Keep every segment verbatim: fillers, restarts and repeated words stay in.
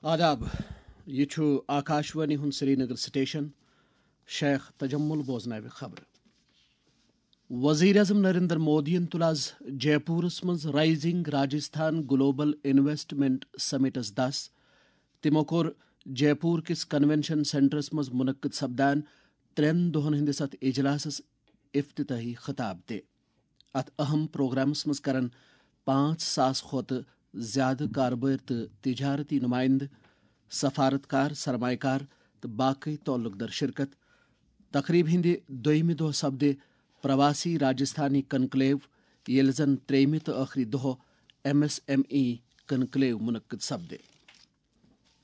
آداب، یہِ چھُ آکاشوانی ہُنٛد سرینگر سٹیشن۔ شیخ تجمل بوزناوِ خبرٕ۔ وزیر اعظم نریندر مودیَن تُل آز جے پوٗرَس منٛز رائزنگ راجستھان گلوبل انویسٹمنٹ سمٹس دَس۔ تِمَو کوٚر جے پوٗر کِس کنونشن سینٹرس منٛز منعقد سپدان ترٛٮ۪ن دۄہَن ہٕنٛدِس اَتھ اجلاسَس افتتاحی خطاب تہِ۔ اَتھ اہم پروگرامَس منٛز کرن پانٛژھ ساس کھۄتہٕ زیادٕ کاربٲرۍ تہٕ تجارتی نمائندٕ، سفارت کار، سرمایہ کار تہٕ باقی تعلق در شرکت۔ تقریب ہٕنٛدِ دوٚیمہِ دۄہ سپدِ پرواسی راجستھانی کنکلیو، ییٚلہِ زن ترٛیٚیمہِ تہٕ ٲخری دۄہ M S M E conclave منعقد سپدِ۔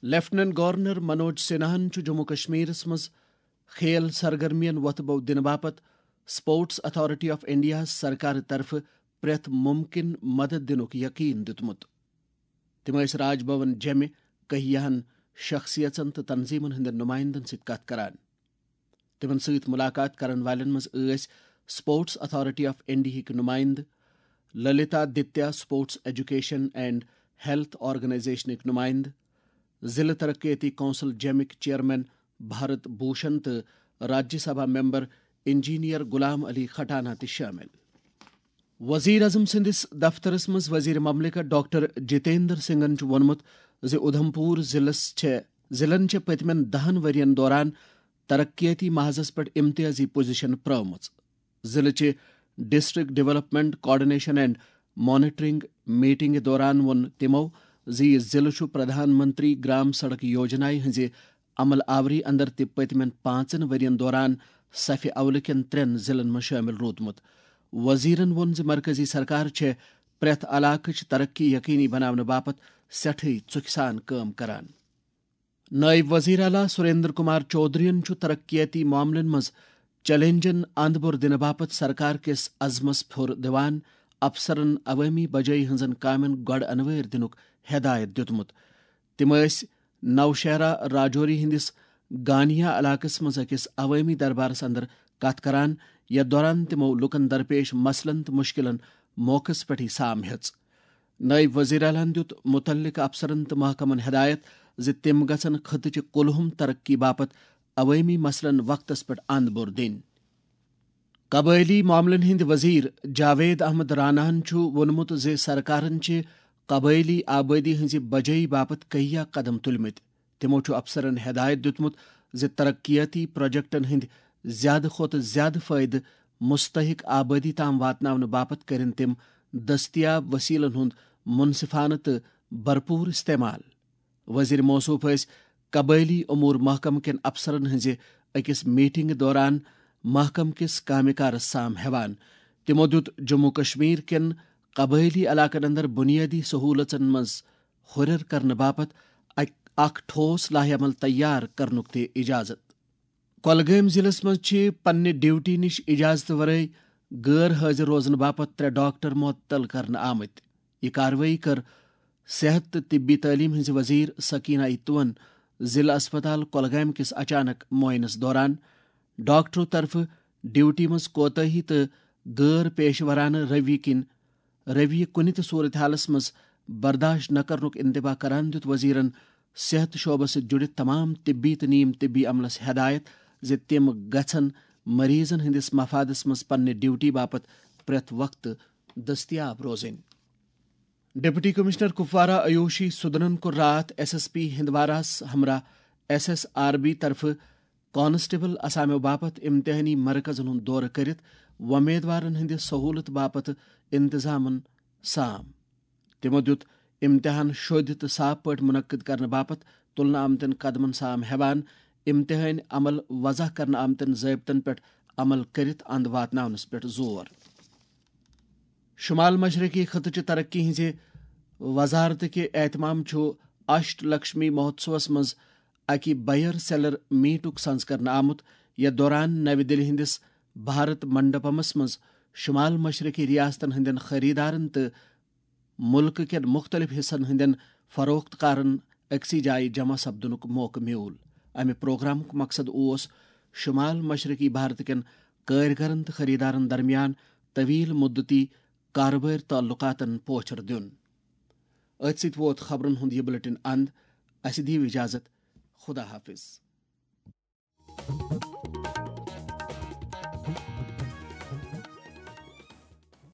لیفٹیننٹ گورنر منوج سنہاہن چھُ جموں کشمیرس منٛز کھیل سرگرمین وۄتھٕ بو دِنہٕ باپتھ اسپورٹس اتھارٹی آف انڈیاہس سرکارٕ طرفہٕ پرٛٮ۪تھ مُمکِن مدد دِنُک یقین دیُتمُت۔ تِم ٲسۍ راج بھون جیمہِ کہیاہن شخصیژن تہٕ تنظیمن ہٕنٛدٮ۪ن نمائندن سۭتۍ کتھ کران۔ تِمن سۭتۍ ملاقات کرن والٮ۪ن منٛز ٲسۍ اسپورٹس اتھارٹی آف انڈیاہٕکۍ نمائندٕ، Lalitaditya sports education and health آرگنائزیشنٕکۍ نمائندٕ، ضلع ترقیتی کونسل جیمٕکۍ چیئرمین بھارت بھوشن تہٕ راجیہ سبھا ممبر انجینئر غلام علی کھٹانہ تہِ شٲمِل۔ وزیر اعظم سٕنٛدِس دفترس منٛز وزیر مملکت ڈاکٹر جتیندر سنگھن چھُ ووٚنمُت زِ اُدھمپور ضلعس چھےٚ، ضلعن چھےٚ پٔتمٮ۪ن دَہَن ؤرین دوران ترقیتی محاذس پٮ۪ٹھ امتیازی پوزیشن پرٲومٕژ۔ ضلعہٕ چہِ district development coordination and monitoring میٹنگہِ دوران ووٚن تِمَو زِ یہِ ضلعہٕ چھُ پردھان منتری گرام سڑک یوجنایہِ ہٕنٛزِ عمل آوری اندر تہِ پٔتمٮ۪ن پانٛژن ؤرین دوران صفہِ اولہٕ کٮ۪ن ترٛٮ۪ن ضلعن منٛز شٲمِل روٗدمُت۔ وزیرن ووٚن زِ مرکزی سرکار چھےٚ پرٛٮ۪تھ علاقٕچ ترقی یقینی بناونہٕ باپتھ سٮ۪ٹھٕے ژُکھِ سان کٲم کران۔ نائب وزیر اعلیٰ سریندر کمار چودھرین چھُ ترقیتی معاملن منٛز چیلنجن اند بور دِنہٕ باپتھ سرکار کِس عزمس پھُر دِوان افسرن عوٲمی بجٲیی ہٕنٛزن کامٮ۪ن گۄڈٕ انوٲرۍ دِنُک ہدایت دیُتمُت۔ تِم ٲسۍ نوشہرہ راجوری ہٕنٛدِس گانیا علاقس منٛز أکِس عوٲمی دربارس اندر کتھ کران، یتھ دوران تِمو لوٗکن درپیش مسلن تہٕ مشکلن موقعس پٮ۪ٹھٕے سام ہیٚژ۔ نائب وزیر اعلیٰ ہَن دیُت متعلقہٕ افسرن تہٕ محکمن ہدایت زِ تِم گژھن خطہٕ چہِ کُلہُم ترقی باپتھ عوٲمی مسلن وقتس پٮ۪ٹھ اند بور دِنۍ۔ قبٲئلی معاملن ہٕنٛدۍ وزیر جاوید احمد راناہن چھُ ووٚنمُت زِ سرکارن چھِ قبٲئلی آبٲدی ہٕنٛزِ بجٲیی باپتھ کہیا قدم تُلمٕتۍ۔ تِمَو چھُ افسرن ہدایت دیُتمُت زِ ترقیتی پروجیکٹن ہٕنٛدۍ زیادٕ کھۄتہٕ زیادٕ فٲیدٕ مستحق آبٲدی تام واتناونہٕ باپتھ کٔرِن تِم دٔستیاب وسیلن ہُنٛد منصفانہٕ تہٕ بھرپور استعمال۔ وزیر موصوف ٲسۍ قبٲئلی امور محکمہٕ کٮ۪ن افسرن ہٕنٛزِ أکِس میٹنگہِ دوران محکمہٕ کِس کامہِ کارس سام ہٮ۪وان۔ تِمَو دیُت جموں کشمیر کٮ۪ن قبٲئلی علاقن اندر بنیادی سہولژن منٛز ہُرٮ۪ر کرنہٕ باپتھ اکھ، اکھ ٹھوس لائحہ عمل تیار کرنُک تہِ اجازت۔ کۄلگٲمۍ ضلعس منٛز چھِ پننہِ ڈیوٹی نِش اجازتہٕ ورٲے غٲر حٲضِر روزنہٕ باپتھ ترٛےٚ ڈاکٹر معطل کرنہٕ آمٕتۍ۔ یہِ کاروٲیی کٔر صحت تہٕ طبی تعلیٖم ہٕنٛزِ وزیر سکینہ ایتوَن ضلع اسپتال کۄلگامہِ کِس اچانک معائنس دوران۔ ڈاکٹرو طرفہٕ ڈیوٹی منٛز کوتاہی تہٕ غٲر پیشہٕ ورانہٕ رویہِ کِنۍ رویہ کُنہِ تہِ صورتحالس منٛز برداشت نہ کرنُک انتباہ کران دیُت وزیرن صحت شعبس سۭتۍ جُڑِتھ تمام طبی تہٕ نیم طبی عملس ہدایت زِ تِم گژھن مریضن ہٕنٛدِس مفادس منٛز پننہِ ڈیوٹی باپتھ پرٛٮ۪تھ وقتہٕ دٔستیاب روزٕنۍ۔ ڈپٹی کمشنر کپوارہ آیوشی سدنن کوٚر راتھ ایس ایس پی ہندواراہس ہمراہ ایس ایس آر بی طرفہٕ کانسٹیبل اسامیو باپتھ امتحانی مرکزن ہُنٛد دورٕ کٔرِتھ وۄمیدوارن ہٕنٛدِ سہولت باپتھ انتظامن سام۔ تِمو دیُت امتحان شوٚدۍ تہٕ صاف پٲٹھۍ منعقد کرنہٕ باپتھ تُلنہٕ آمتٮ۪ن قدمن سام ہٮ۪وان امتحٲنۍ عمل وضع کرنہٕ آمتٮ۪ن ضٲبطن پٮ۪ٹھ عمل کٔرِتھ اند واتناونس پٮ۪ٹھ زور۔ شمال مشرقی خطہٕ چہِ ترقی ہٕنٛزِ وزارتٕکہِ اہتمام چھُ اشٹ لکشمی مہوتسوس منٛز اکہِ بائر سیلر میٹُک سنز کرنہٕ آمُت، یتھ دوران نوِ دِلہِ ہٕنٛدِس بھارت منڈپمس منٛز شمال مشرقی ریاستن ہٕنٛدٮ۪ن خریدارن تہٕ مُلکہٕ کٮ۪ن مُختٔلِف حصن ہٕنٛدٮ۪ن فروخت کارن أکسٕے جایہِ جمع سپدنُک موقعہٕ میوٗل۔ امہِ پروگرامُک مقصد اوس شمال مشرقی بھارت کٮ۪ن کٲرۍگرن تہٕ خریدارن درمیان طویل مدتی کارٕبٲرۍ تعلقاتن پوچھر دیُن۔ أتھۍ سۭتۍ ووت خبرن ہُنٛد یہِ بلیٹن اند۔ اسہِ دِیِو اجازت۔ خدا حافظ۔